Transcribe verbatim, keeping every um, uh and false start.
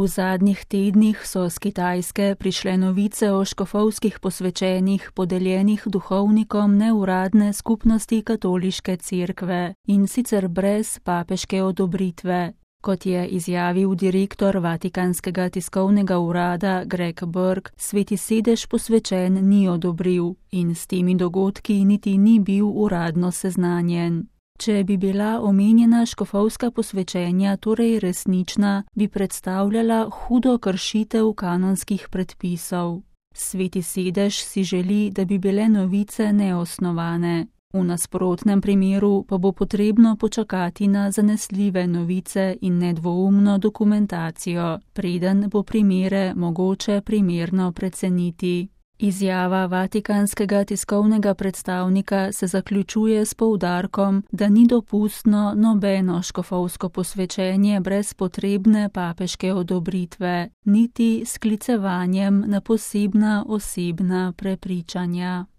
zadnjih tednih so z Kitajske prišle novice o škofovskih posvečenjih podeljenih duhovnikom neuradne skupnosti katoliške cerkve, in sicer brez papeške odobritve. Kot je izjavil direktor Vatikanskega tiskovnega urada Greg Burke, Sveti sedež posvečen ni odobril in s temi dogodki niti ni bil uradno seznanjen. Če bi bila omenjena škofovska posvečenja torej resnična, bi predstavljala hudo kršitev kanonskih predpisov. Sveti sedež si želi, da bi bile novice neosnovane. V nasprotnem primeru pa bo potrebno počakati na zanesljive novice in nedvoumno dokumentacijo, preden bo primere mogoče primerno preceniti. Izjava Vatikanskega tiskovnega predstavnika se zaključuje s poudarkom, da ni dopustno nobeno škofovsko posvečenje brez potrebne papeške odobritve, niti s sklicevanjem na posebna osebna prepričanja.